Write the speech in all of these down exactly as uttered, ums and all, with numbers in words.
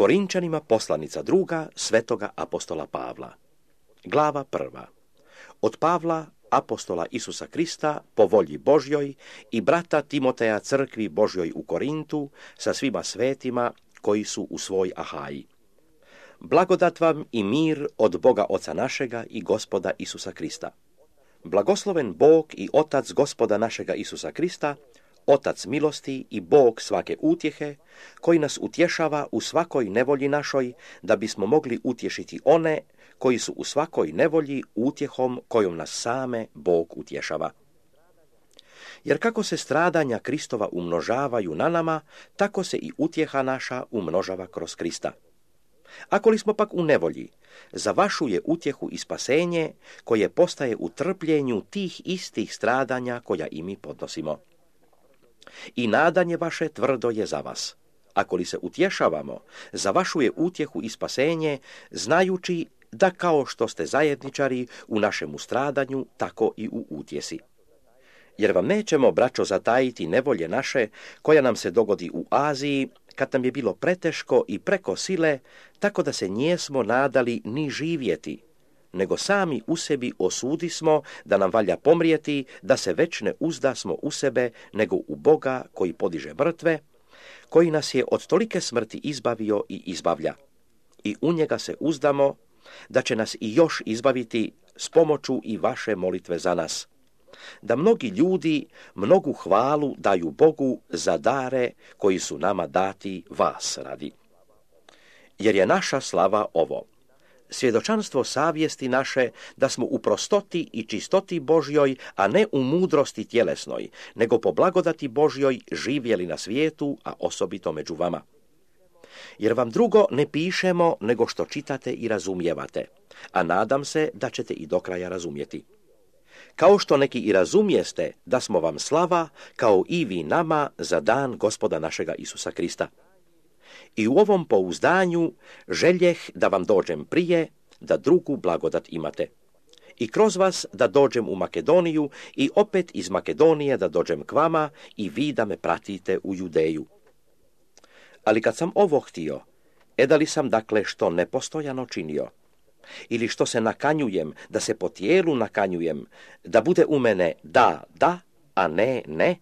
Korinčanima poslanica druga svetoga apostola Pavla. Glava prva. Od Pavla, apostola Isusa Krista, po volji Božjoj, i brata Timoteja crkvi Božjoj u Korintu, sa svima svetima koji su u svoj Ahaji. Blagodat vam i mir od Boga Oca našega i Gospoda Isusa Krista. Blagosloven Bog i Otac Gospoda našega Isusa Krista, Otac milosti i Bog svake utjehe, koji nas utješava u svakoj nevolji našoj, da bismo mogli utješiti one koji su u svakoj nevolji utjehom kojom nas same Bog utješava. Jer kako se stradanja Kristova umnožavaju na nama, tako se i utjeha naša umnožava kroz Krista. Ako li smo pak u nevolji, za vašu je utjehu i spasenje, koje postaje u trpljenju tih istih stradanja koja i mi podnosimo. I nadanje vaše tvrdo je za vas. Ako li se utješavamo, za vašu je utjehu i spasenje, znajući da kao što ste zajedničari u našemu stradanju, tako i u utjesi. Jer vam nećemo, braćo, zatajiti nevolje naše, koja nam se dogodi u Aziji, kad nam je bilo preteško i preko sile, tako da se njesmo nadali ni živjeti, nego sami u sebi osudismo da nam valja pomrijeti, da se već ne uzdasmo u sebe, nego u Boga koji podiže mrtve, koji nas je od tolike smrti izbavio i izbavlja. I u njega se uzdamo, da će nas i još izbaviti s pomoću i vaše molitve za nas. Da mnogi ljudi mnogu hvalu daju Bogu za dare koji su nama dati vas radi. Jer je naša slava ovo: svjedočanstvo savjesti naše da smo u prostoti i čistoti Božjoj, a ne u mudrosti tjelesnoj, nego po blagodati Božjoj živjeli na svijetu, a osobito među vama. Jer vam drugo ne pišemo nego što čitate i razumijevate, a nadam se da ćete i do kraja razumjeti. Kao što neki i razumijeste da smo vam slava, kao i vi nama za dan Gospoda našega Isusa Krista. I u ovom pouzdanju željeh da vam dođem prije, da drugu blagodat imate. I kroz vas da dođem u Makedoniju i opet iz Makedonije da dođem k vama i vi da me pratite u Judeju. Ali kad sam ovo htio, edali sam dakle što nepostojano činio, ili što se nakanjujem, da se po tijelu nakanjujem, da bude u mene da, da, a ne, ne.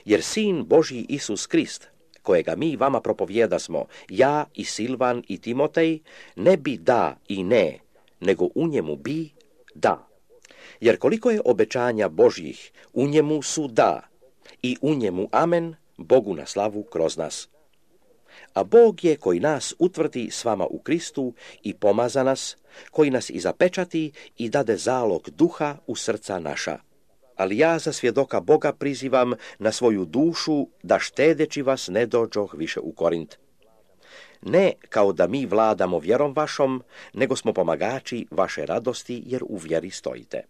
Jer Sin Božji Isus Krist, kojega mi vama propovjedasmo, ja i Silvan i Timotej, ne bi da i ne, nego u njemu bi da. Jer koliko je obećanja Božjih, u njemu su da, i u njemu amen, Bogu na slavu kroz nas. A Bog je koji nas utvrdi s vama u Kristu i pomaza nas, koji nas i zapečati i dade zalog duha u srca naša. Ali ja za svjedoka Boga prizivam na svoju dušu da štedeći vas ne dođoh više u Korint. Ne kao da mi vladamo vjerom vašom, nego smo pomagači vaše radosti jer u vjeri stojite.